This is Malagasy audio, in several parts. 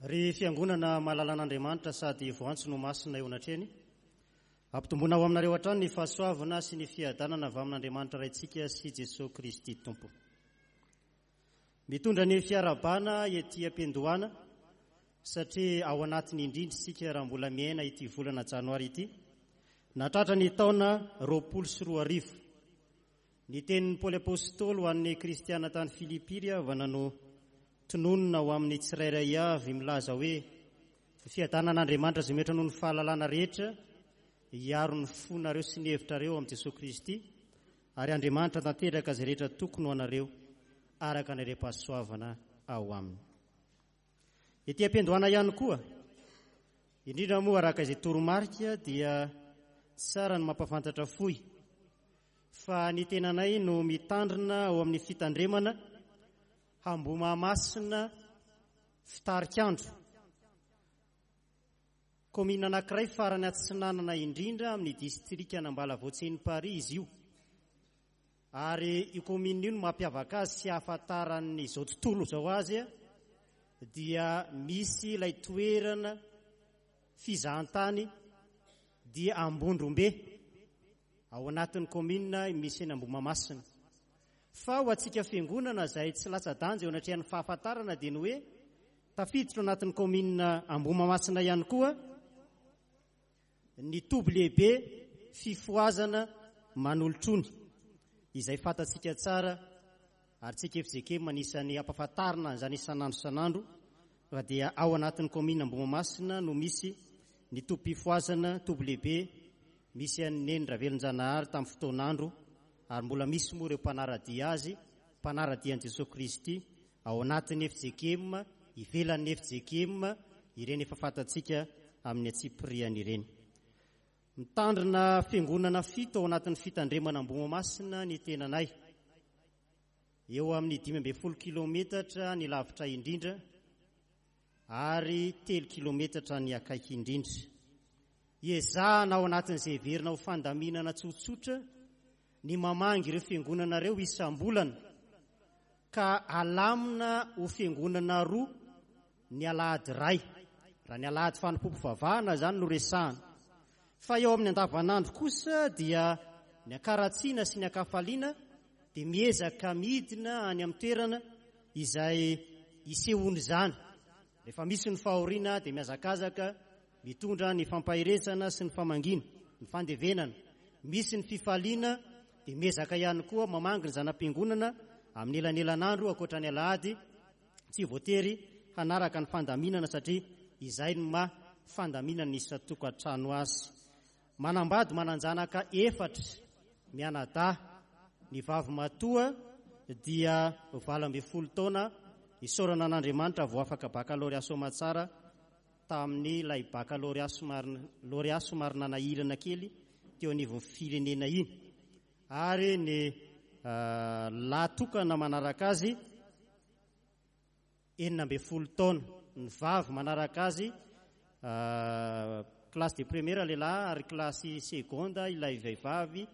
Ry Fiangonana malalan'Andriamanitra sady voantso no masina eo anatrehany, ampitomboina ho aminareo hatrany ny fahasoavana sy ny fiadanana avy amin'Andriamanitra Raintsika sy Jesoa Kristy Tompo. Mitondra ny fiarahabana ety am-piandohana satria ao anatiny indrindra isika raha mbola miaina ity volana janoary ity, nahatratra ny taona 2020. Ny tenin'i Paoly Apostoly ho an'ny kristiana tany Filipy ry havana no tononina ho amin'ny tsirairay avy milaza hoe, Ny fiadanan'Andriamanitra izay mihoatra noho ny fahalalana rehetra hiaro ny fonareo sy ny hevitrareo amin'i Jesoa Kristy, ary Andriamanitra tanteraka izay rehetra tokony ho anareo araka ny harem-pahasoavana ao aminy. Ety am-piandohana ihany koa, indrindra moa araka izay toromarika dia tsara ny mampahafantatra fohy fa ny tenanay no mitandrina ao amin'ny fitandremana Ambohimahamasina Fitarikandro, kaominina anankiray farany atsinanana indrindra amin'ny distrikan'Ambalavoatseny-Paris izy io. Ary io kaominina io no mampiavaka azy sy ahafantaran'izao tontolo izao azy dia misy ilay toerana fizahantany dia Ambondrombe ao anatin'ny kaominina misy eny Ambohimahamasina. Fa ho antsika fiangonana izay tsy latsa-danja eo anatrehan'ny fahafantarana dia ny hoe tafiditra ao anatin'ny kaominina Ambohimahamasina ihany koa ny toby lehibe fifohazana Manolotrony izay fantatsika tsara ary tsika fjkm anisan'ny ampahafantarina an'izany isan'andro isan'andro fa dia ao anatin'ny kaominina Ambohimahamasina no misy ny tobim-pifohazana, toby lehibe misy an'i Neny Ravelonjanahary tamin'ny fotoan'andro ary mbola misy moa ireo mpanara-dia azy, mpanara-dia an'i Jesoa Kristy ao anatin'ny fjkm, ivelan'ny fjkm, ireny efa fantatsika amin'ny antsipiriany ireny. Mitandrina fiangonana fito ao anatin'ny fitandremana Ambohimahamasina ny tenanay. Eo amin'ny 15 kilometatra ny lavitra indrindra ary 3 kilometatra ny akaiky indrindra. Ezahana ao anatin'izay heverina ho fandaminana tsotsotra ny mamangy ireo fiangonana ireo isam-bolana ka alamina ho fiangonana roa ny alahady iray, raha ny alahady fanompoam-pivavahana izany no resahana. Fa eo amin'ny andavanandro kosa dia ny ankaratsiana sy ny ankafaliana dia miezaka midina any amin'ny toerana izay isehoan'izany. Rehefa misy ny fahoriana dia mihazakazaka mitondra ny fampaherezana sy ny famangiana, ny fandevenana. Misy ny fifaliana dia miezaka ihany koa mamangy ny zana-piangonana amin'ny elanelan'andro ankoatra ny alahady, tsy voatery hanaraka ny fandaminana satria izay no maha fandaminana isan-tokantrano azy. Manambady manan-janaka efatra mianadahy, ny vavimatoa dia 18 taona, isaorana an'Andriamanitra vao afaka bakalorea soamatsara tamin'ny ilay bakalorea somary lauréat somary nanahirana kely teo anivon'ny firenena iny ary ny lahy tokana manaraka azy 16 taona, ny vavy manaraka azy classe de première lehilahy ary classe seconde ilay vehivavy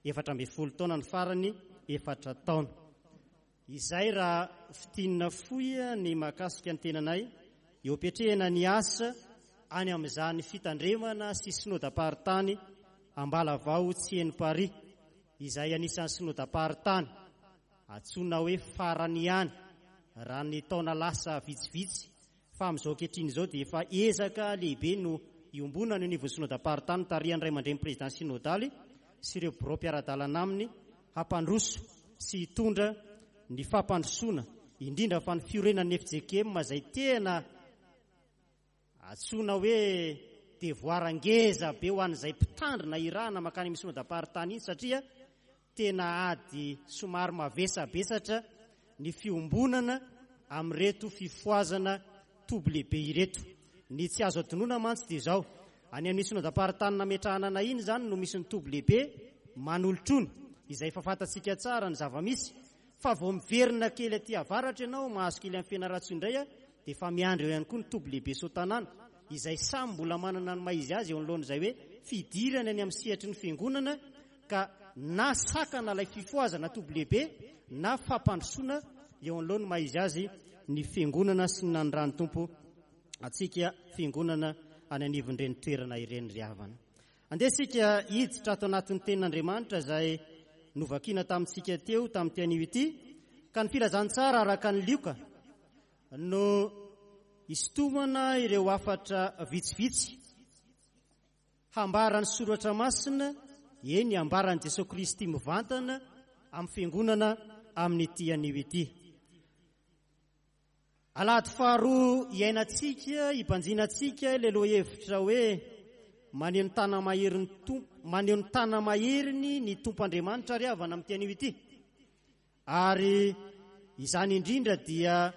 14 taona, ny farany 4 taona. Izay raha fintinina fohy ny mahakasika ny tenanay eo am-piatrehana ny asa any amin'izany fitandremana sy synodam-paritany Ambalavao Tsienimparihy izay anisan'ny synodam-paritany antsoina hoe farany ihany raha ny taona lasa vitsivitsy fa amin'izao ankehitriny izao dia efa ezaka lehibe no iombonana eo anivon'ny synodam-paritany tarihan'ny ray aman-dreny président synodaly sy ireo birao mpiara-dalana aminy hampandroso sy hitondra ny fampandrosoana indrindra fa ny fiorenan'ny fjkm izay tena Antsoina hoe devoir ngeza be ho an'izay mpitandrina irahana mankany amin'ny synodam-paritany iny satria tena ady somary mavesabesatra ny fiombonana amin'ireto fifohazana toby lehibe ireto. Ny tsy azo adinoina mantsy dia izao, any amin'ny synodam-paritany nametrahana anay iny izany no misy ny toby lehibe Manolotrony, izay efa fantatsika tsara ny zava-misy, Fa vao miverina kely aty avaratra ianao, mahazo kely an'i Fianarantsoa indray dia efa miandry eo ihany koa ny toby lehibe Soatanàna, izay samy mbola manana ny maha izy azy eo anoloan'izay hoe fidirana eny amin'ny sehatry ny fiangonana ka na sakana ilay fifohazana toby lehibe na fampandrosoana eo anoloan'ny maha izy azy ny fiangonana sy ny nanirahan'ny Tompo. antsika fiangonana any anivon'ireny toerana ireny ry havana. Andeha isika hiditra ato anatin'ny tenin'Andriamanitra izay novakiana tamintsika teo tamin'ity anio ity, ka ny filazantsara araka ny Lioka no hisintomana ireo hafatra vitsivitsy hambaran'ny Soratra Masina, eny hambaran'i Jesoa Kristy mivantana amin'ny fiangonana amin'ity anio ity. Alahady faharoa iainantsika, ibanjinantsika ilay lohahevitra hoe maneho ny tana-maherin'ny Tompo, maneho ny tana-maheriny ny Tompo Andriamanitra ry havana amin'ity anio ity. Ary izany indrindra dia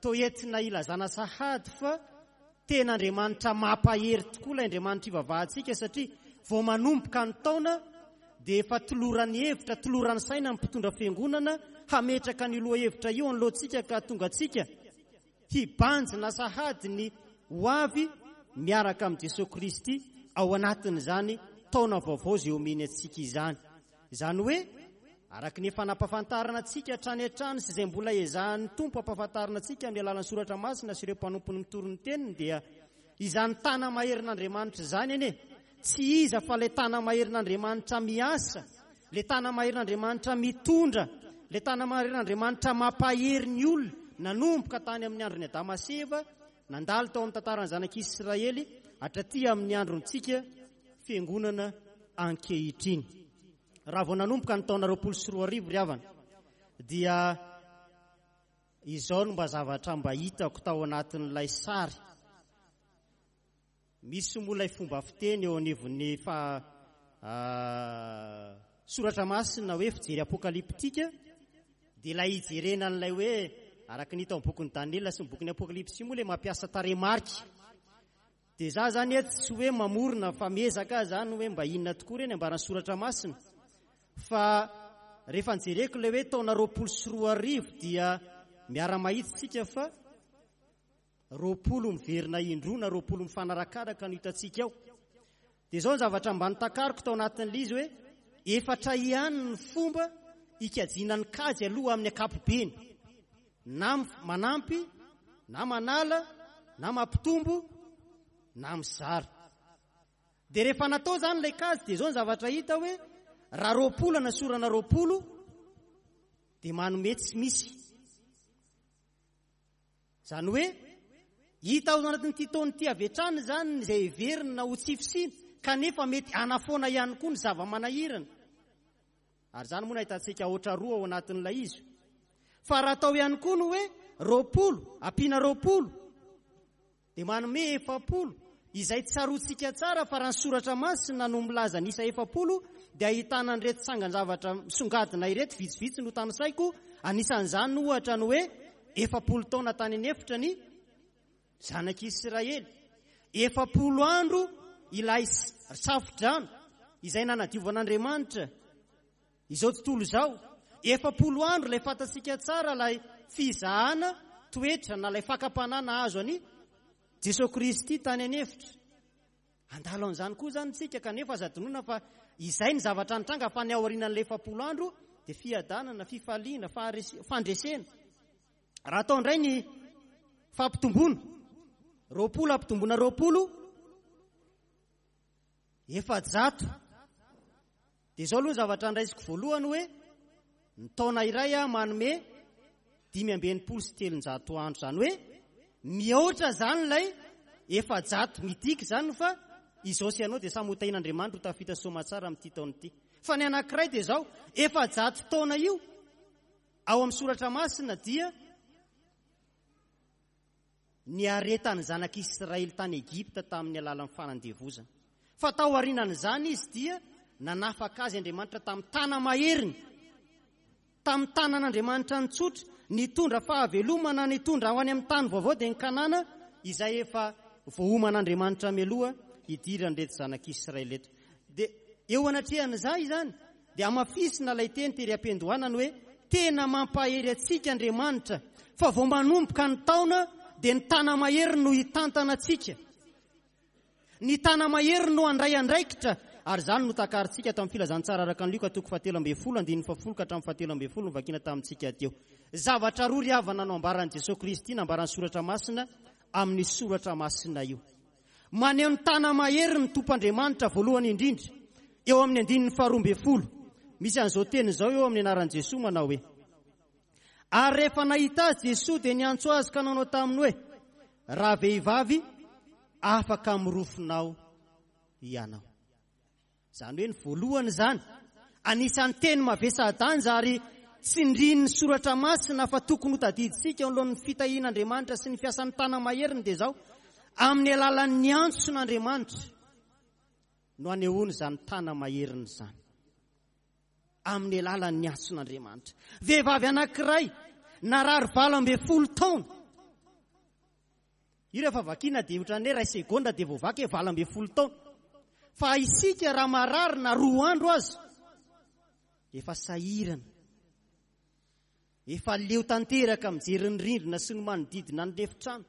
toa entina ilazana sahady fa tena Andriamanitra mampahery tokoa ilay Andriamanitra ivavahantsika satria vao manomboka ny taona dia efa tolorany hevitra, tolorany saina ny mpitondra fiangonana hametraka an'io lohahevitra io anoloantsika ka hahatonga antsika hibanjina sahady ny ho avy miaraka amin'i Jesoa Kristy ao anatin'izany taona vaovao izay omeny antsika izany. Izany hoe, araka ny efa nampahafantarana antsika hatrany hatrany sy izay mbola ezahan'ny Tompo hampahafantarina antsika amin'ny alalan'ny Soratra Masina sy ireo mpanompony mitory ny Teniny dia izany tana-maherin'Andriamanitra izany anie tsy iza fa ilay tana-maherin'Andriamanitra miasa, ilay tana-maherin'Andriamanitra mitondra, ilay tana-maherin'Andriamanitra mampahery ny olona nanomboka tany amin'ny andron'i Adama sy Eva, nandalo tao amin'ny tantaran'ny zanak'Israely hatraty amin'ny androntsika Fiangonana ankehitriny. Raha vao nanomboka ny taona 2020 ry havana dia izao no mba zavatra mba hitako tao anatin'ilay sary. Misy moa ilay fomba fiteny eo anivon'ny fa soratra masina hoe fijery apokalyptika dia ilay hijerena an'ilay hoe araka ny hita ao amin'ny bokin'i Daniela sy ny bokin'ny Apokalypsy moa ilay mampiasa tarehimarika. Dia za zany eto tsy hoe mamorona fa miezaka aho zany hoe mba inona tokoa re ny ambaran'ny soratra masina fa rehefa nijereko ilay hoe taona 2020 dia miara-mahitsy tsika fa 20 miverina indroa na 20 mifanarakaraka no hitantsika ao. Dia izao ny zavatra mba notakariko tao anatin'ilay izy hoe efatra ihany ny fomba hikajiana ny kajy aloha amin'ny ankapobeny. Na manampy, na manala, na mampitombo, na mizara. Dia rehefa natao izany ilay kajy dia izao ny zavatra hita hoe raha 20 anasorana 20 dia manome tsy misy. Izany hoe, hita ao anatin'ity taona ity avy hatrany izany izay heverina ho tsy fisiana, kanefa mety hanafoana ihany koa ny zava-manahirana. Ary izany moa no ahitantsika aotra roa ao anatin'ilay izy. Fa raha atao ihany koa ny hoe 20 ampiana 20, dia manome 40, izay tsaroantsika tsara fa raha ny Soratra Masina no milaza ny isa 40 dia ahitana an'ireto tsangan-javatra misongadina ireto, vitsivitsy no tanisaiko, anisan'izany ohatra ny hoe 40 taona tany an'efitra ny Zanak'Isiraely, 40 andro ilay safo-drano izay nanadiovan'Andriamanitra Izao tontolo izao, 40 andro ilay fantatsika tsara ilay fizahana toetra na ilay fakam-panahy nahazo an'i Jesoa Kristy tany an'efitra. Handalo an'izany koa izany isika kanefa aza adinoina fa izay ny zavatra nitranga fa ny aorianan'ilay 40 andro dia fiadanana, fifaliana, fandresena. Raha atao indray ny fampitomboana, 20 ampitomboana 20, 400. Dia izao aloha ny zavatra andraisiko voalohany hoe ny taona iray aho manome 365 andro, izany hoe mihoatra izany ilay 400, midika izany fa izao sy ianao dia samy ho tahian'Andriamanitra ho tafita soamatsara amin'ity taona ity. Fa ny anankiray dia izao, 400 taona io ao amin'ny soratra masina dia niaretan'ny zanak'Israely tany Egypta tamin'ny alalan'ny fanandevozana. Fa tao aorianan'izany izy dia nanafaka azy Andriamanitra tamin'ny tana-maheriny, tamin'ny tanan'Andriamanitra nitsotra, nitondra fahavelomana, nitondra ho any amin'ny tany vaovao dia ny Kanana izay efa voaoman'Andriamanitra mialoha hidiran'ireto zanak'Israely ireto. Dia eo anatrehan'izay izany Dia hamafisina ilay teny tery am-piandohana ny hoe tena mampahery antsika Andriamanitra fa vao manomboka ny taona dia ny tana-maheriny no hitantana antsika. Ny tana-maheriny no handray andraikitra ary izany no takarintsika ato amin'ny Filazantsara araka an'i Lioka toko fahatelo ambin'ny folo andininy fahafolo ka hatramin'ny fahatelo ambin'ny folo novakiana tamintsika teo. Zavatra roa ry havana no ambaran'i Jesoa Kristy, nambaran'ny Soratra Masina. amin'ny soratra masina io. Maneho ny tana-mahery ny Tompo Andriamanitra voalohany indrindra eo amin'ny andininy faharoa ambin'ny folo. Misy an'izao teny izao eo amin'ny anaran'i Jesoa manao hoe, Ary rehefa nahita azy Jesoa dia niantso azy ka nanao taminy hoe, Ravehivavy, afaka amin'ny rofinao hianao. Izany hoe ny voalohany izany, anisan'ny teny mavesa-danja ary tsindrian'ny Soratra Masina fa tokony hotadidintsika eo anoloan'ny fitahian'Andriamanitra sy ny fiasan'ny tana-maheriny dia izao, amin'ny alalan'ny antson'Andriamanitra no anehoany izany tana-maheriny izany. Amin'ny alalan'ny antson'Andriamanitra. Vehivavy anankiray narary 18 taona. Io rehefa vakiana dia ohatran'ny hoe iray segondra dia voavaky hoe 18 taona. Fa isika raha marary na 2 andro aza efa sahirana. Efa leo tanteraka mijery ny rindrina sy ny manodidina ny efitrano.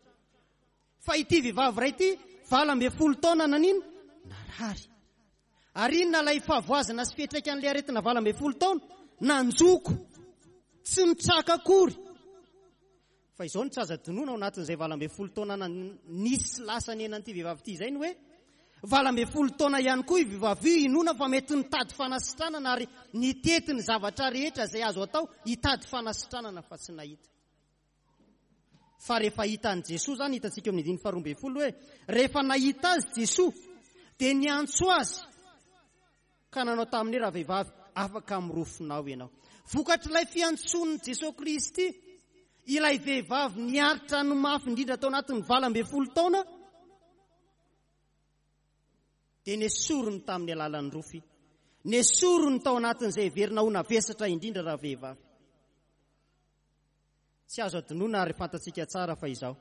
Fa ity vehivavy iray ity 18 taona nanino? Narary. Ary inona ilay fahavoazana sy fiantraikan'ilay aretina 18 taona? Nanjoko. Tsy nitraka akory. Fa izao no tsy azo adinoina ao anatin'izay 18 taona nisy lasa niainan'ity vehivavy ity izay ny hoe, 18 taona ihany koa io vehivavy io inoana fa mety nitady fanasitranana ary nitety ny zavatra rehetra izay azo atao hitady fanasitranana fa tsy nahita. Fa rehefa hitan'i Jesoa izany, hitantsika eo amin'ny andininy faharoa ambin'ny folo hoe, rehefa nahita azy Jesoa dia niantso azy Ka nanao taminy hoe, Ravehivavy, afaka amin'ny rofinao ianao. Vokatr'ilay fiantsoan'i Jesoa Kristy, ilay vehivavy niaritra ny mafy indrindra tao anatin'ny 18 taona, dia nesoriny tamin'ny alalan'ny rofy. Nesoriny tao anatin'izay heverina ho navesatra indrindra ravehivavy. Tsy azo adinoina ary fantatsika tsara fa izao,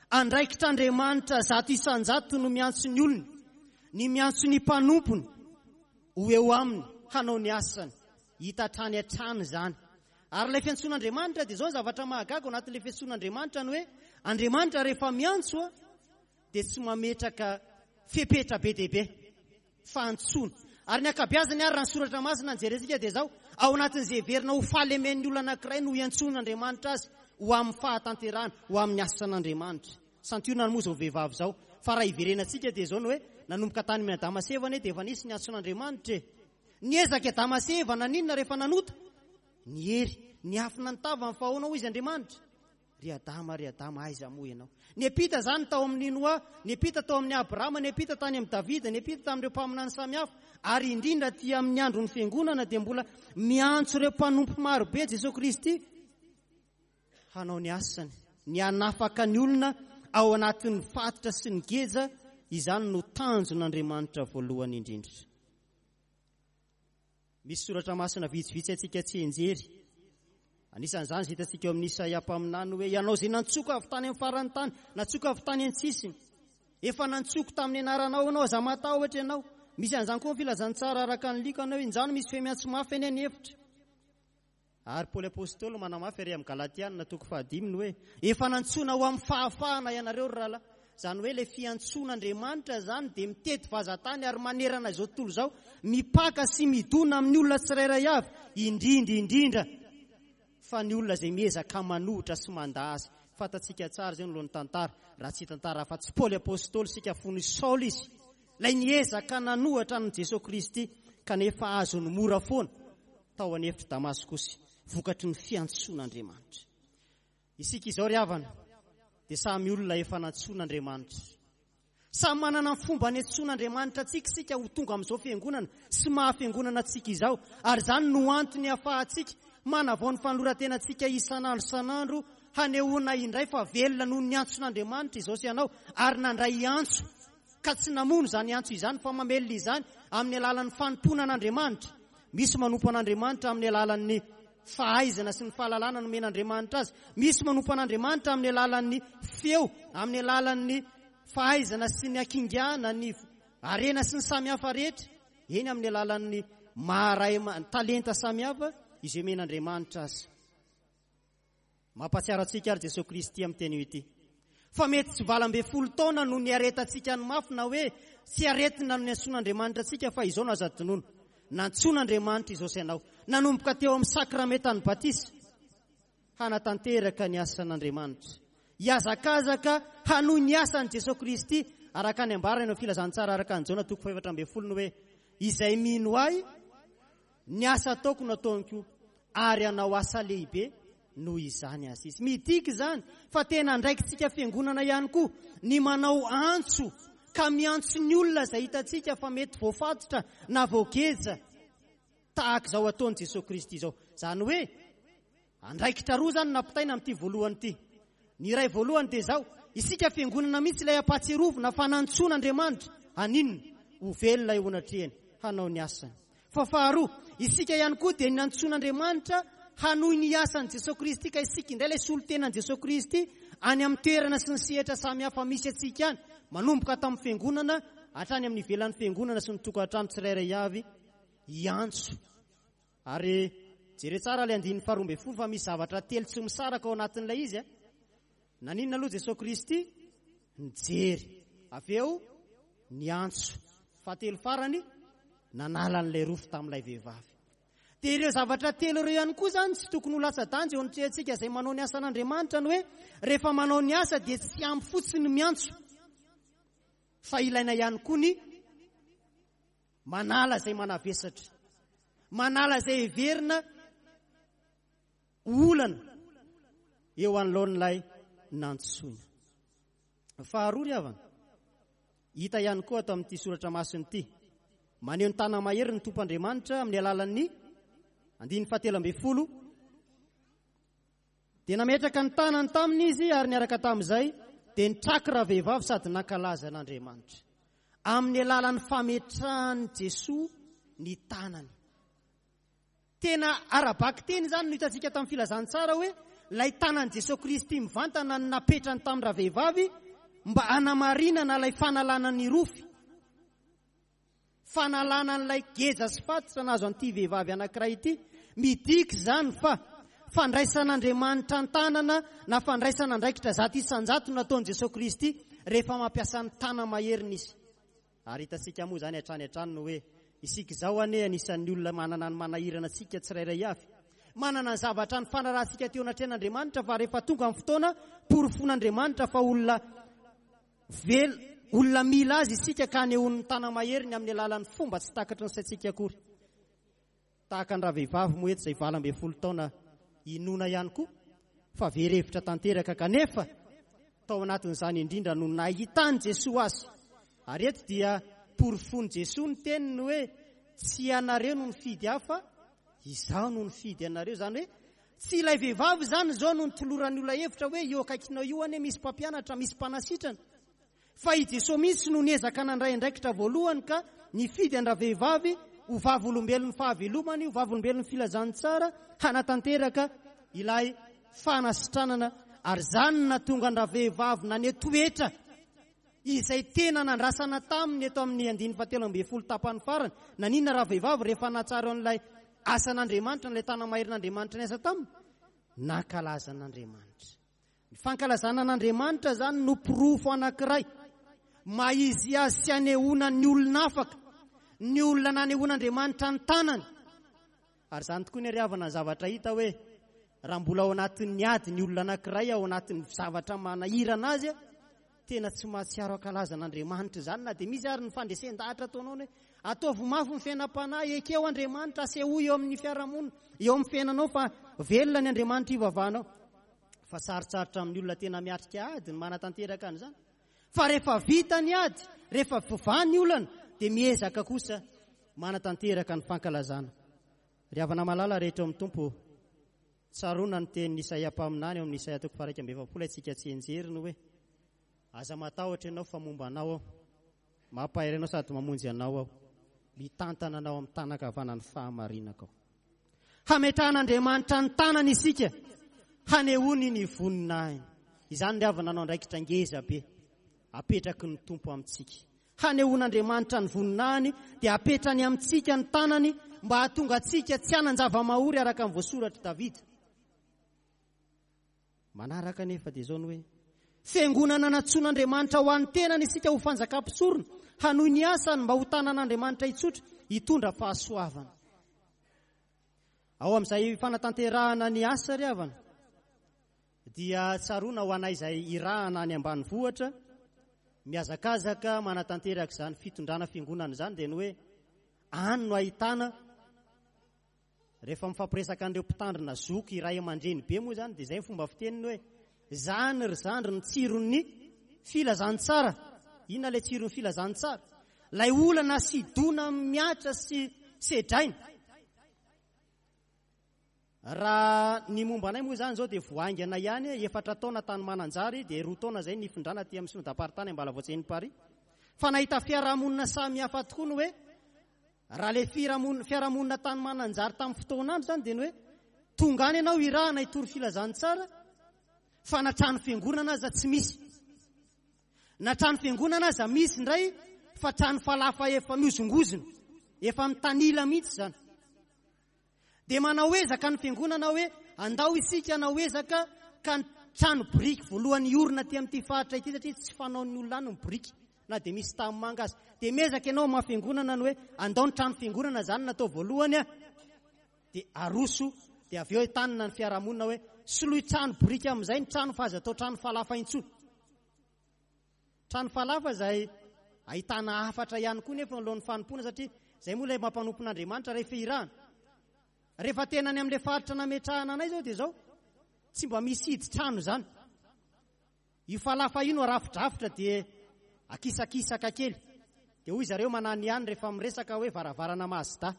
andraikitr'Andriamanitra 100% no miantso ny olony, ny miantso ny mpanompony ho eo aminy hanao ny asany. Hita hatrany hatrany izany. Ary ilay fiantsoan'Andriamanitra dia izao ny zavatra mahagaga ao anatin'ilay fiantsoan'Andriamanitra ny hoe Andriamanitra rehefa miantso dia tsy mametraka fepetra be dia be. fa antsoina. Ary ny ankabeazany ary raha ny soratra masina no jerentsika dia izao, ao anatin'izay heverina ho fahalemen'ny olona anankiray no iantsoan'Andriamanitra azy ho amin'ny fahatanterahana, ho amin'ny asan'Andriamanitra. Santionany moa izao vehivavy izao. Fa raha hiverenantsika dia izao ny hoe, nanomboka tany amin'i Adama sy Eva anie dia efa nisy ny antson'Andriamanitra e! Niezaka i Adama sy Eva naninona rehefa nanota? Niery, niafina ny tavany fa ahoana hoy izy Andriamanitra? Ry Adama, ry Adama, aiza moa ianao? Niampita izany tao amin'i Noa, niampita tao amin'i Abrahama, niampita tany amin'i Davida, niampita tamin'ireo mpaminany samihafa, ary indrindra aty amin'ny andron'ny Fiangonana dia mbola miantso ireo mpanompo maro be Jesoa Kristy hanao ny asany, ny hanafaka ny olona ao anatin'ny fatotra sy ny geja, izany no tanjon'Andriamanitra voalohany indrindra. Misy soratra masina vitsivitsy antsika tsianjery. Anisan'izany izay hitantsika eo amin'ny Isaia mpaminany hoe, Ianao izay nantsoiko avy tany amin'ny faran'ny tany, nantsoiko avy tany an-tsisiny. Efa nantsoiko tamin'ny anaranao ianao, aza matahotra ianao. Misy an'izany koa ny filazantsara araka ny Lioka hoe, Injany misy feo miantso mafy any an'efitra. Ary Paoly Apostoly manamafy ary amin'ny Galatiana toko fahadimy ny hoe, Efa nantsoina ho amin'ny fahafahana ianareo, ry rahalahy. Izany hoe ilay fiantsoan'Andriamanitra izany dia mitety vazan-tany ary manerana izao tontolo izao, mipaka sy midona amin'ny olona tsirairay avy, indrindra indrindra fa ny olona izay miezaka manohitra sy mandà azy. Fantatsika tsara izay noloan'ny tantara, raha tsy hitantara afa-tsy Paoly Apostoly isika fony Saoly izy, ilay niezaka nanohatra an'i Jesoa Kristy kanefa azony mora foana. tao an'efitr'i Damaskosy, vokatry ny fiantsoan'Andriamanitra. Isika izao ry havana dia samy olona efa nantsoin'Andriamanitra. Samy manana ny fomba niantsoan'Andriamanitra antsika isika ho tonga amin'izao fiangonana sy maha fiangonana antsika izao, ary izany no antony ahafahantsika manavao ny fanoloran-tenantsika isan'andro isan'andro hanehoana indray fa velona noho ny antson'Andriamanitra izao sy ianao ary nandray antso ka tsy namono izany antso izany fa mamelona izany amin'ny alalan'ny fanompoana an'Andriamanitra. Misy manompo an'Andriamanitra amin'ny alalan'ny fahaizana sy ny fahalalana nomen'Andriamanitra azy. Misy manompo an'Andriamanitra amin'ny alalan'ny feo, amin'ny alalan'ny fahaizana sy ny hakingana, ny harena sy ny samihafa rehetra. Eny, amin'ny alalan'ny maha-ray talenta samihafa izay omen'Andriamanitra azy. Mampahatsiaro antsika ary Jesoa Kristy amin'ny teny ity fa mety tsy 18 taona no niaretantsika ny mafy na hoe tsy aretina no niantsoan'Andriamanitra antsika fa izao no azo adinoina. Nantsoin'Andriamanitra izao sy ianao nanomboka teo amin'ny sakramentan'ny batisa hanatanteraka ny asan'Andriamanitra. Hihazakazaka hanohy ny asan'i Jesoa Kristy araka ny ambarany ao Filazantsara araka an'i Jaona toko faha-14 ny hoe, Izay mino Ahy, ny asa ataoko no ataony koa, ary hanao asa lehibe noho izany aza izy. Midika izany fa tena andraikitsika fiangonana ihany koa ny manao antso ka miantso ny olona izay hitantsika fa mety voafatotra na voageja tahaka izao ataon'i Jesoa Kristy izao. Izany hoe andraikitra roa izany nampitaina amin'ity voalohany ity. Ny iray voalohany dia izao, isika fiangonana mihitsy ilay ampahatsiarovina fa nantsoina Andriamanitra haninona? Ho velona eo anatrehany, hanao ny asany. Fa faharoa, isika ihany koa dia nantsoin'Andriamanitra hanohy ny asan'i Jesoa Kristy ka isika indray ilay solontenan'i Jesoa Kristy any amin'ny toerana sy ny sehatra samihafa misy antsika any, manomboka ato amin'ny fiangonana hatrany amin'ny ivelan'ny fiangonana sy ny tokantrano tsirairay avy hiantso. Ary jereo tsara ilay andininy faharoa ambin'ny folo fa misy zavatra telo tsy misaraka ao anatin'ilay izy a. Naninona aloha Jesoa Kristy? Nijery. Avy eo niantso. Fahatelo farany, nanala an'ilay rofy tamin'ilay vehivavy. Dia ireo zavatra telo ireo ihany koa izany tsy tokony ho latsa-danja eo anatrehantsika izay manao ny asan'Andriamanitra ny hoe rehefa manao ny asa dia tsy ampy fotsiny ny miantso fa ilaina ihany koa ny manala izay manavesatra, manala izay heverina olana eo anoloan'ilay nantsoina. Faharoa ry havana, hita ihany koa ato amin'ity soratra masina ity, maneho ny tana-mahery ny Tompo Andriamanitra amin'ny alalan'ny andininy fahatelo ambin'ny folo, dia nametraka ny tanany taminy izy ary niaraka tamin'izay dia nitraky ravehivavy sady nankalaza an'Andriamanitra. Amin'ny alalan'ny fametrahan'i Jesoa ny tanany. Tena ara-bakiteny izany no hitantsika tamin'ny filazantsara hoe ilay tanan'i Jesoa Kristy mivantana no napetrany tamin'ny ravehivavy mba hanamarinana ilay fanalana ny rofy, fanalana an'ilay geja sy fatotra nahazo an'ity vehivavy anankiray ity. Midika izany fa fandraisan'Andriamanitra an-tanana na fandraisana andraikitra 100% no nataon'i Jesoa Kristy rehefa mampiasa ny tana-maheriny Izy. Ary hitantsika moa izany hatrany hatrany ny hoe isika izao anie anisan'ny olona manana ny manahirana antsika tsirairay avy. Manana ny zavatra nifanarahantsika teo anatrehan'Andriamanitra fa rehefa tonga ny fotoana, porofon'Andriamanitra fa olona vel, olona mila azy isika ka anehoany ny tana-maheriny amin'ny alalan'ny fomba tsy takatry ny saintsika akory. Tahaka ny ravehivavy moa eto izay 18 taona inoana ihany koa fa very hevitra tanteraka kanefa tao anatin'izany indrindra no nahitan'i Jesoa azy. Ary eto dia porofoin'i Jesoa ny teniny hoe tsy ianareo no nifidy ahy fa izaho no nifidy anareo. Izany hoe tsy ilay vehivavy izany izao no nitoloran'ny olona hevitra hoe eo akaikinao io anie misy mpampianatra, misy mpanasitrana. Fa i Jesoa mihitsy no niezaka nandray andraikitra voalohany ka nifidy an-dravehivavy ho vavolombelon'ny fahavelomany, ho vavolombelon'ny filazantsara, hanatanteraka ilay fanasitranana, ary izany no nahatonga an-dravehivavy naneho toetra izay tena nandrasana taminy eto amin'ny andininy fahatelo ambin'ny folo tapany farany. Naninona ravehivavy rehefa nahatsaro an'ilay asan'Andriamanitra, an'ilay tana-maherin'Andriamanitra niasa taminy? Nankalaza an'Andriamanitra. Ny fankalazana an'Andriamanitra izany no porofo anankiray maha izy azy sy anehoana ny olona afaka, ny olona nanehoan'Andriamanitra ny tanany. Ary izany tokoa ny ry havana ny zavatra hita hoe raha mbola ao anatin'ny ady ny olona anankiray, ao anatin'ny zavatra manahirana azy, Tena tsy mahatsiaro hankalaza an'Andriamanitra izany na dia misy ary ny fandresen-dahatra ataonao ny hoe ataovy mafy ny fiainam-panahy, ekeo Andriamanitra, asehoy eo amin'ny fiarahamonina, eo amin'ny fiainanao fa velona ny Andriamanitra ivavahanao. Fa sarotsarotra amin'ny olona tena miatrika ady ny manatanteraka an'izany. Fa rehefa vita ny ady, rehefa voavaha ny olana, dia miezaka kosa manatanteraka ny fankalazana. Ry havana malala rehetra ao amin'ny Tompo, Tsaroana ny tenin'i Isaia mpaminany ao amin'ny Isaia toko faha-41 haintsika tsianjery ny hoe, Aza matahotra ianao fa momba anao aho. Mampahery anao sady mamonjy anao aho. Mitantana anao amin'ny tanan-kavanan'ny fahamarinako aho. Hametrahan'Andriamanitra ny tanany isika hanehoany ny voninahiny. Izany ry havana no andraikitra ngeza be apetraky ny Tompo amintsika. Hanehoan'Andriamanitra ny voninahiny dia apetrany amintsika ny tanany mba hahatonga antsika tsy hanan-java-mahory araka ny voasoratr'i Davida. Manaraka anefa dia izao ny hoe, Fiangonana nantsoin'Andriamanitra ho an'ny tenany isika ho fanjakam-pisorona, hanohy ny asany mba ho tanan'Andriamanitra hitsotra, hitondra fahasoavana. Ao amin'izay fanatanterahana ny asa ry havana. Dia tsaroana ho anay izay irahana any ambanivohitra, mihazakazaka manatanteraka izany fitondrana fiangonana izany dia ny hoe any no ahitana rehefa mifampiresaka an'ireo mpitandrina zoky ray aman-dreny be moa izany dia izay ny fomba fiteniny hoe zany ry zandry ny tsiron'ny filazantsara. Inona ilay tsiron'ny filazantsara? Ilay olana sy dona mihatra sy sedraina. Raha ny momba anay moa izany izao dia vao haingana ihany, efatra taona tany Mananjary dia roa taona izay nifindrana aty amin'ny synodam-paritany Ambalavoatseny Paris. Fa nahita fiarahamonina samihafa tokoa ny hoe raha ilay fiarahamonina tany Mananjary tamin'ny fotoan'andro izany dia ny hoe tonga any ianao irahana hitory filazantsara fa na trano fiangonana aza tsy misy. Na trano fiangonana aza misy indray fa trano falafa efa mihozongozona, efa mitanila mihitsy izany. Dia manao ezaka ny fiangonana hoe andao isika hanao ezaka ka ny trano biriky voalohany hiorina aty amin'ity faritra ity satria tsy fanaon'ny olona any ny biriky na dia misy tanimanga aza. Dia miezaka ianao maha fiangonana ny hoe andao ny trano fiangonana izany natao voalohany a, dia aroso dia avy eo entanina ny fiarahamonina hoe soloy trano biriky amin'izay ny trano fa aza atao trano falafa intsony. Trano falafa izay ahitana hafatra ihany koa nefa alohan'ny fanompoana satria izay moa ilay mampanompon'Andriamanitra rehefa irahana. Rehefa tena any amin'ilay faritra nametrahana anay izao dia izao, tsy mba misy hidy trano izany. Io falafa io no arafidrafitra dia akisakisaka kely. Dia hoy zareo manany ihany rehefa miresaka hoe varavarana Mazda.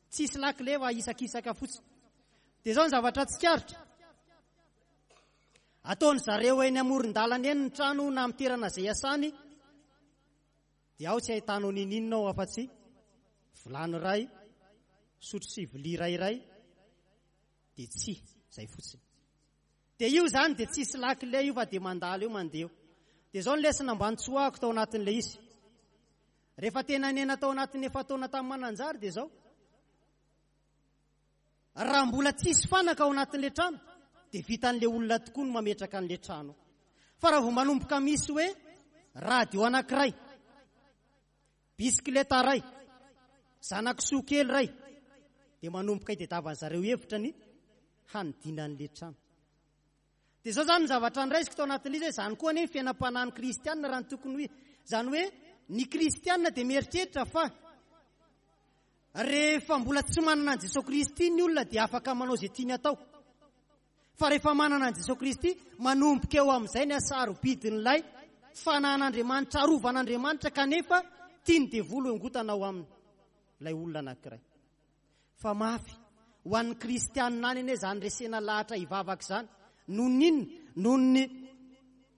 Tsisy lakile fa ahisakisaka fotsiny. Dia izao ny zavatra tsikaritra. Ataon zareo eny amoron-dalana eny ny trano na amin'ny toerana izay iasany dia ao tsy ahitanao ninoninona ao afa-tsy vilany iray, sotro sy vilia iray iray dia tsy izay fotsiny. Dia io izany dia tsisy lakile io fa dia mandalo eo mandeha eo. Dia izao ny lesona mba nitsoahako tao anatin'ilay izy. Rehefa tena niaina tao anatin'ny efa-taona tamin'ny Mananjary dia izao. Raha mbola tsisy fanaka ao anatin'ilay trano dia vitan'ilay olona tokoa ny mametraka an'ilay trano. Fa raha vao manomboka misy hoe radio anankiray, bisikileta iray, zana-kisoa kely iray dia manomboka itadiavan'ny zareo hevitra ny hanidina an'ilay trano. Dia izao izany ny zavatra niraisiko tao anatin'ilay izy hoe izany koa anie ny fiainam-panahin'ny kristiana raha ny tokony ho izy. Izany hoe ny kristiana dia mieritreritra fa Rehefa mbola tsy manana an'i Jesoa Kristy ny olona dia afaka manao izay tiany atao. Fa rehefa manana an'i Jesoa Kristy, manomboka eo amin'izay ny hasarobidin'ilay fanahin'Andriamanitra, arovan'Andriamanitra kanefa tian'ny devoly hongotana ao aminy ilay olona anankiray. Fa mafy ho an'ny kristianina any anie izany resena lahatra hivavaka izany. Noho ny inona? Noho ny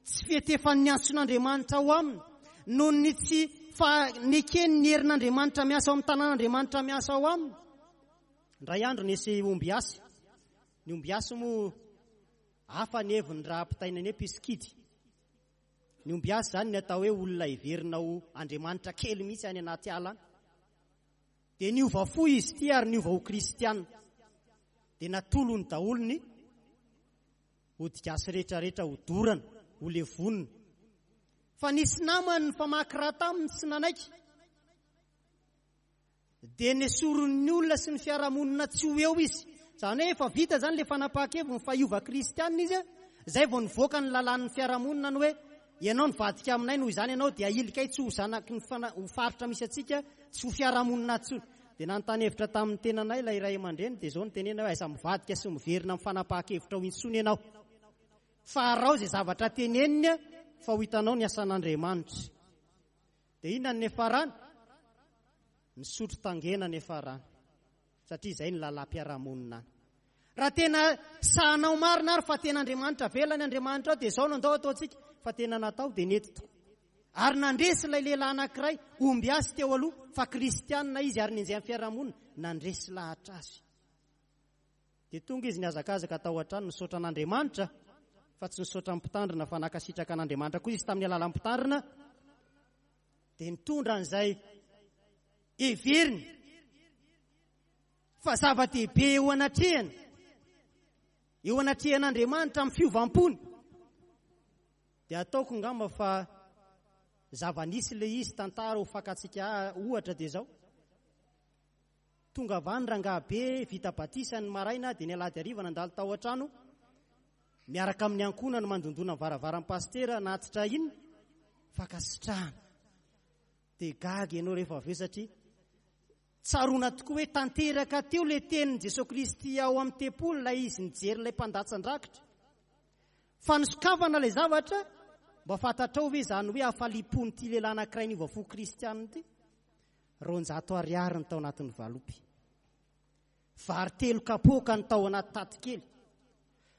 tsy fiantefan'ny antson'Andriamanitra ao aminy, noho ny tsy fanekeny ny herin'Andriamanitra miasa ao amin'ny tanàn'Andriamanitra miasa ao aminy. Indray andro nisy ombiasy. Ny ombiasy moa hafa ny heviny raha ampitaina ny hoe mpisikidy. Ny ombiasy izany ny atao hoe olona heverina ho Andriamanitra kely mihitsy any anaty ala any. Dia niova fo izy ity ary niova ho kristiana. Dia natolony daholo ny ody gasy rehetra rehetra ho dorana, ho levonina. Fa nisy namany nifamaky rà taminy tsy nanaiky. Dia nesorin'ny olona sy ny fiarahamonina tsy ho eo izy. Izany hoe efa vita izany ilay fanapahan-keviny fa hiova kristiana izy, izay vao nivoaka ny lalàn'ny fiarahamonina ny hoe ianao nivadika aminay noho izany ianao dia ahilikay tsy ho zanaky ny ho faritra misy antsika, tsy ho fiarahamonina intsony. Dia nanontany hevitra tamin'ny tenanay ilay ray aman-dreny dia izao no teneniny hoe aiza mivadika sy miverina amin'ny fanapahan-kevitrao intsony ianao fa araho izay zavatra teneniny fa ho hitanao ny asan'Andriamanitra. Dia inona ny niafarany? Nisotro tangena niafarany satria izay ny lalam-piarahamonina any. Raha tena sahanao marina ary fa tena Andriamanitra velona ny Andriamanitrao dia izao no andao ataontsika fa tena natao dia nety tokoa. Ary nandresy ilay lehilahy anankiray, ombiasy teo aloha, fa kristianina izy ary nenjehan'ny fiarahamonina, nandresy lahatra azy. Dia tonga izy nihazakazaka tao an-trano nisaotra an'Andriamanitra, fa tsy nisaotra ny mpitandrina fa nankasitraka an'Andriamanitra koa izy tamin'ny alalan'ny mpitandrina, dia nitondra an'izay heveriny fa zava-dehibe eo anatrehany, eo anatrehan'Andriamanitra amin'ny fiovam-pony. Dia ataoko ngamba fa zava-nisy ilay izy, tantara ho fakantsika ohatra dia izao. Tonga avy any rangahy be vita batisa ny maraina dia ny alahady hariva nandalo tao an-trano. Miaraka amin'ny ankohonany mandondona ny varavaran'ny pasitera hanatitra inona? Fankasitrahana. Dia gaga ianao rehefa avy eo satria tsaroana tokoa hoe tanteraka teo ilay tenin'i Jesoa Kristy ao amin'ny tempoly ilay izy nijery ilay mpandatsan-drakitra. Fa nisokafana ilay zavatra, mba fantatrao ve izany hoe hafaliam-pon'ity lehilahy anankiray niova fo kristianina ity? 200 ariary ny tao anatin'ny valopy. Vary telo kapoaka ny tao anaty taty kely.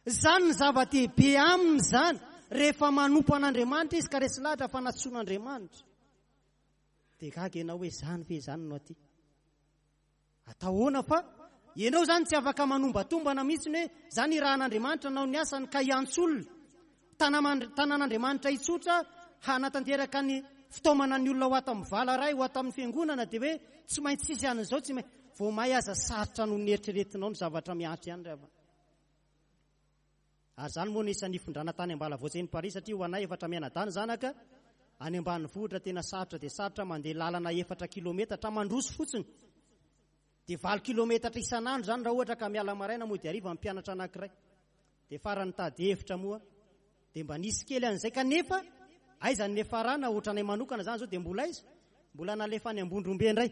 Izany ny zava-dehibe aminy izany rehefa manompo an'Andriamanitra izy ka resy lahatra fa nantsoin'Andriamanitra. Dia gaga ianao hoe izany ve izany no aty? Atao ahoana fa ianao izany tsy afaka manombatombana mihitsy hoe izany irahan'Andriamanitra nanao ny asany ka hiantso olona. Tanan'Andriamanitra hitsotra hanatanteraka ny fitaomana ny olona ho ato amin'ny vala iray, ho ato amin'ny fiangonana dia hoe tsy maintsy hisy an'izao, tsy maintsy. Vao may aza sarotra noho ny eritreretinao ny zavatra mihatra ihany ry havana. Ary izany moa no isan'ny nifindrana tany Ambalavoatsy eny Paris satria ho anay efatra mianadahy ny zanaka any ambanivohitra tena sarotra dia sarotra mandeha lalana efatra kilometatra mandroso fotsiny. Dia valo kilometatra isan'andro izany raha ohatra ka miala maraina mody hariva ny mpianatra anankiray. Dia farany nitady hevitra moa dia mba nisy kely an'izay kanefa aiza ny niafarana ohatranay manokana izany izao dia mbola aiza? Mbola nalefa any Ambondrombe indray.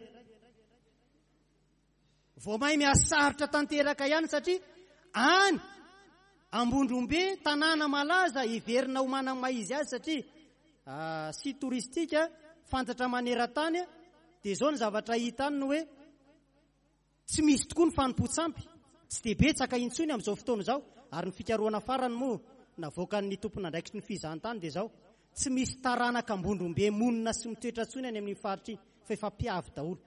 Vao may mihasarotra tanteraka ihany satria any Ambondrombe tanàna malaza heverina ho manana maha izy azy satria ah, site touristique fantatra maneran-tany dia izao ny zavatra hita any no hoe Tsy misy tokoa ny fanompoan-tsampy, tsy dia betsaka intsony amin'izao fotoana izao, ary ny fikarohana farany moa navoakan'ny tompon'andraikitry ny fizahantany dia izao, tsy misy taranaka Ambondrombe monina sy mitoetra intsony any amin'iny faritra iny fa efa mpiavy daholo.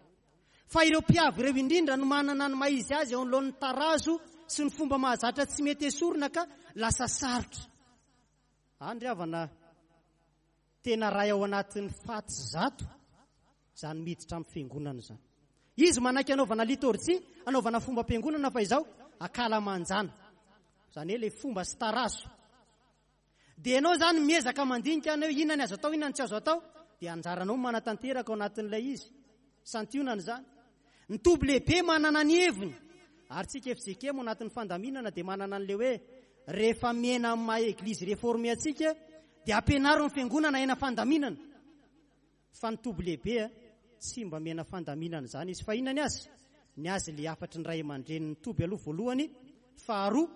Fa ireo mpiavy ireo indrindra no manana ny maha izy azy eo anoloan'ny tarazo sy ny fomba mahazatra tsy mety esorina ka lasa sarotra. Any ry havana, Tena ray ao anatin'ny faty zato izany miditra amin'ny fiangonana izany. Izy manaiky anaovana litorjia, anaovana fombam-piangonana fa izao akalamanjana. Izany hoe ilay fomba sy tarazo. Dia ianao izany miezaka mandinika any hoe inona ny azo atao, inona ny tsy azo atao, dia anjaranao manatanteraka ao anatin'ilay izy. Santionany izany. Ny toby lehibe manana ny heviny. Ary tsika fjkm ao anatin'ny fandaminana dia manana an'ilay hoe rehefa miaina amin'ny maha eglizy reforme antsika dia ampianaro ny fiangonana aina fandaminana. Fa ny toby lehibe tsy mba miaina fandaminana izany izy. Fa inona ny azy? Ny azy ilay hafatry ny ray aman-drenin'ny toby aloha voalohany. Faharoa,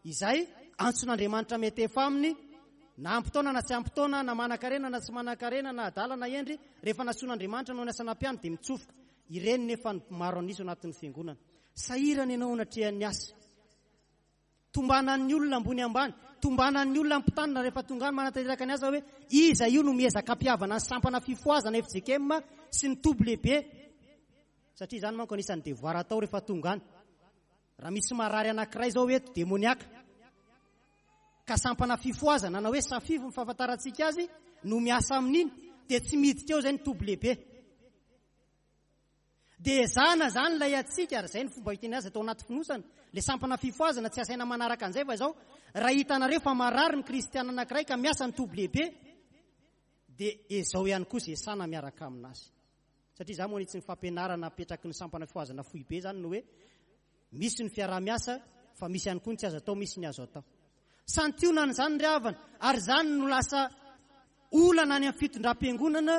izay antson'Andriamanitra miantefa aminy, na ampy taona na tsy ampy taona, na manan-karena na tsy manan-karena, na adala na hendry, rehefa nantsoin'Andriamanitra noho ny asa nampiany dia mitsofoka. Ireny nefa no maro an'isa ao anatin'ny fiangonana. Sahirana ianao anatrehan'ny asa. Tombanan'ny olona ambony ambany, tombanan'ny olona ampitanina rehefa tonga any manatanteraka ny asa hoe iza io no miezaka hampihavana ny sampana fifohazana fjkm sy ny toby lehibe. Satria izany manko anisan'ny devoir atao rehefa tonga any. Raha misy marary anankiray izao eto, demoniaka, ka sampana fifohazana na hoe safify ny fahafantarantsika azy no miasa amin'iny, dia tsy miditra eo izay ny toby lehibe. Dia ezahana izany ilay antsika, ary izay ny fomba hiteny azy atao anaty fonosana, ilay sampana fifohazana tsy asaina manaraka an'izay fa izao, raha hitanareo fa marary ny kristiana anankiray ka miasa ny toby lehibe, dia ezao ihany koa izay sana miaraka aminazy. Satria izaho moa anitsy ny fampianarana apetraky ny sampana fifohazana foibe izany no hoe misy ny fiaraha-miasa fa misy ihany koa ny tsy azo atao, misy ny azo atao. Santionany izany ry havana, ary izany no lasa olana any amin'ny fitondram-piangonana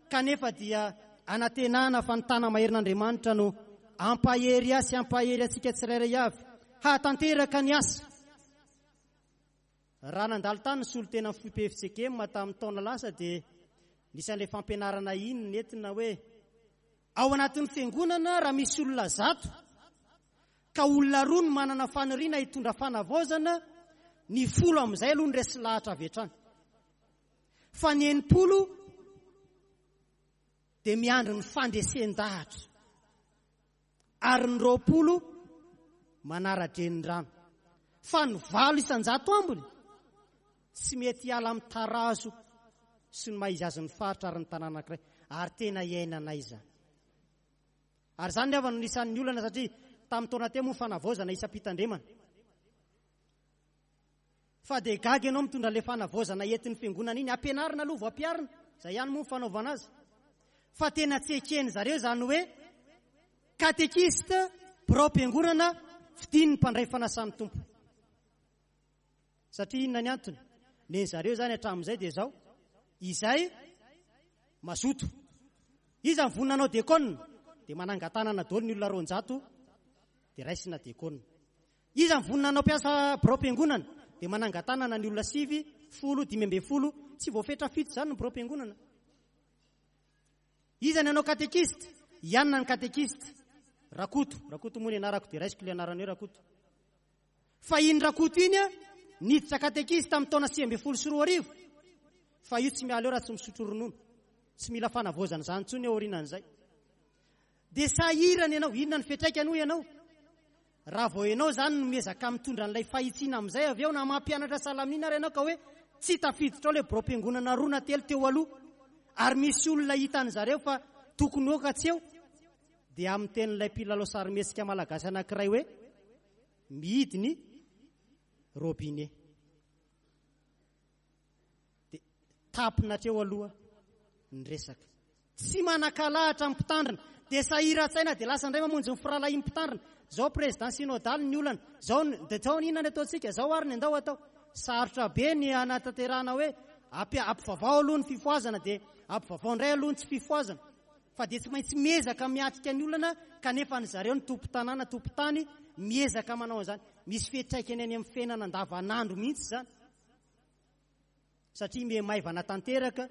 kanefa dia anantenana fa ny tana-maherin'Andriamanitra no hampahery ahy sy hampahery antsika tsirairay avy hahatanteraka ny asa. Raha nandalo tany ny solontenan'ny foibe fjkm tamin'ny taona lasa dia nisy an'ilay fampianarana iny nentina hoe ao anatin'ny fiangonana raha misy olona zato ka olona roa no manana faniriana hitondra fanavaozana, ny folo amin'izay aloha no resy lahatra avy hatrany. Fa ny 60 dia miandry ny fandresen-dahatra. Ary ny 20 manara-drenirano. Fa ny 8% ambiny tsy mety hiala amin'ny tarazo sy ny maha izy azy ny faritra ary ny tanàna anankiray. Ary tena iainanay izany. Ary izany ry havana no isan'ny olana satria tamin'ny taona teo moa fanavaozana isam-pitandremana. Fa dia gaga ianao mitondra ilay fanavaozana entin'ny fiangonana iny. Ampianarina aloha vao ampiharina. Izay ihany moa ny fanaovana azy. Fa tena tsy eken zareo izany hoe katekista, biraom-piangonana, fidin'ny mpandray fanasan'ny Tompo. Satria inona ny antony? Nen'ny zareo izany hatramin'izay dia izao, izay mazoto. Iza ny vonona hanao diakona? Dia manangan-tanana daholo ny olona 200 dia raisina diakona. Iza ny vonona hanao mpiasa biraom-piangonana? Dia manangan-tanana ny olona 9, 10, 15, tsy voafetra fito izany ny biraom-piangonana. Iza ny hanao katekista? Ianona ny katekista. Rakoto, Rakoto moa ny anarako dia raisiko ilay anarana hoe Rakoto. Fa iny Rakoto iny a, niditra katekista tamin'ny taona 2019, fa io tsy miala eo raha tsy misotro ronono. Tsy mila fanavaozana izany intsony aorianan'izay. Dia sahirana ianao, inona ny fiantraikany hoy ianao? Raha vao ianao izany no miezaka mitondra an'ilay fahitsiana amin'izay avy eo na mampianatra salamina ary ianao ka hoe tsy tafiditra ao ilay biraom-piangonana roa na telo teo aloha ary misy olona hitan'ny zareo fa tokony ho eo ka tsy eo, dia amin'ny tenin'ilay mpilalao sarimihetsika malagasy anankiray hoe mihidy ny robinet. Dia tapina hatreo aloha ny resaka. Tsy manan-kalahatra ny mpitandrina. Dia sahiran-tsaina dia lasa indray mamonjy ny firahalahian'ny mpitandrina. Izao président synodal ny olana. Izao dia izao inona ny ataontsika? Izao ary ny andao atao. Sarotra be ny hanatanterahana hoe ampivavao aloha ny fifohazana dia ampivavao indray aloha ny tsy fifohazana. Fa dia tsy maintsy miezaka miatrika ny olana kanefa ny zareo ny tompon-tanàna, tompon-tany miezaka manao an'izany. Misy fiantraikany any amin'ny fiainana andavanandro mihitsy izany. Satria miha maivana tanteraka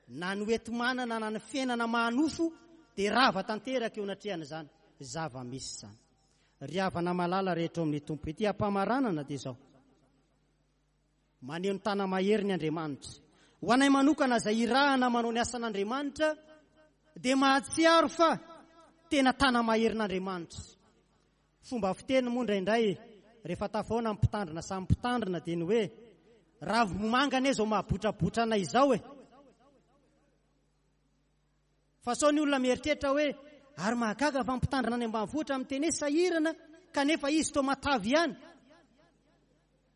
na ny hoenti-manana na ny fiainana maha-nofo dia rava tanteraka eo anatrehan'izany zava-misy izany. Ry havana malala rehetra ao amin'ny Tompo, ety am-pamaranana dia izao, maneho ny tana-mahery ny Andriamanitra. Ho anay manokana izay irahana manao ny asan'Andriamanitra dia mahatsiaro fa tena tana-maherin'Andriamanitra. Fomba fiteny moa indraindray rehefa tafahoana ny mpitandrina samy mpitandrina dia ny hoe ravimomanga anie izao mahabotrabotra anay izao e! Fa sao ny olona mieritreritra hoe ary mahagaga fa ny mpitandrina any ambanivohitra miteny hoe sahirana kanefa izy toa matavy ihany.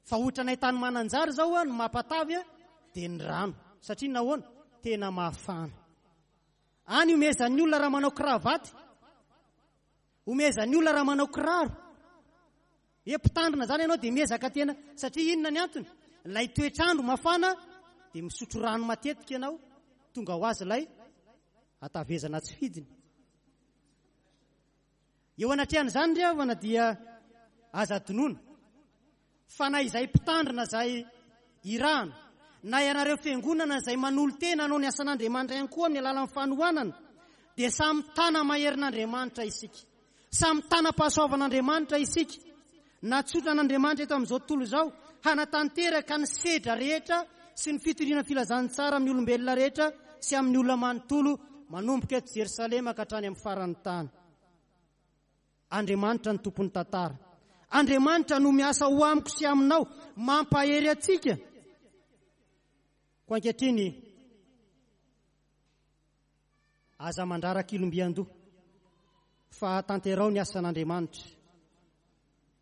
Fa ohatranay tany Mananjary izao ny mampatavy dia ny rano. Satria nahoana? Tena mafana. Any omezan'ny olona raha manao kravaty. Omezan'ny olona raha manao kiraro. Hoe mpitandrina izany ianao dia miezaka tena satria inona ny antony? Ilay toetr'andro mafana dia misotro rano matetika ianao, tonga ho azy ilay hatavezana tsy fidiny. Eo anatrehan'izany ry havana dia aza adinoina Fa na izay mpitandrina izay irahana, na ianareo fiangonana izay manolo-tena hanao ny asan'Andriamanitra ihany koa amin'ny alalan'ny fanohanana, dia samy tana-maherin'Andriamanitra isika. Samy tanam-pahasoavan'Andriamanitra isika. Natsotran'Andriamanitra eto amin'izao tontolo izao hanatanteraka ny sedra rehetra sy ny fitoriana filazantsara amin'ny olombelona rehetra sy amin'ny olona manontolo manomboka eto Jerosalema ka hatrany amin'ny faran'ny tany. Andriamanitra no tompon'ny tantara. Andriamanitra no miasa ho amiko sy aminao, mampahery antsika. Koa ankehitriny, aza mandraraka ilombian-doha, fa tanteraho ny asan'Andriamanitra.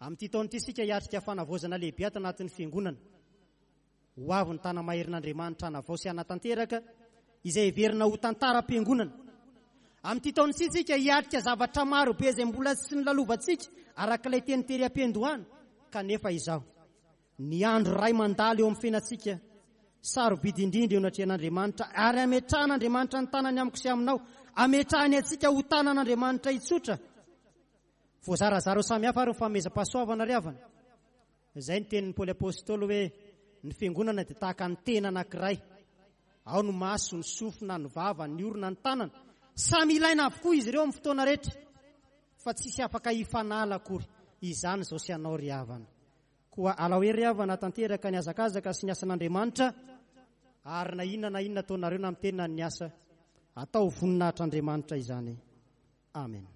Amin'ity taona ity isika hiatrika fanavaozana lehibe ato anatin'ny fiangonana. Ho avy ny tana-maherin'Andriamanitra hanavao sy hanatanteraka izay heverina ho tantaram-piangonana. Amin'ity taona ity isika hiatrika zavatra maro be izay mbola tsy nolalovantsika araka ilay teny tery am-piandohana, kanefa izao, ny andro iray mandalo eo amin'ny fiainantsika, sarobidy indrindra eo anatrehan'Andriamanitra, ary ametrahan'Andriamanitra ny tanany amiko sy aminao, ametrahany antsika ho tanan'Andriamanitra hitsotra. Voazarazara ho samy hafa ary ny fanomezam-pahasoavana ry havana. Izay ny tenin'i Paoly Apostoly hoe ny fiangonana dia tahaka ny tena anankiray. Ao ny maso, ny sofina, ny vava, ny orona, ny tanana. Samy ilaina avokoa izy ireo amin'ny fotoana rehetra. Fa tsisy afaka hifanala akory. Izany izao sy anao ry havana. Koa alao hery ry havana tanteraka ny hazakazaka sy ny asan'Andriamanitra ary na inona na inona ataonareo na miteny na ny asa, atao voninahitr'Andriamanitra izany. Amen.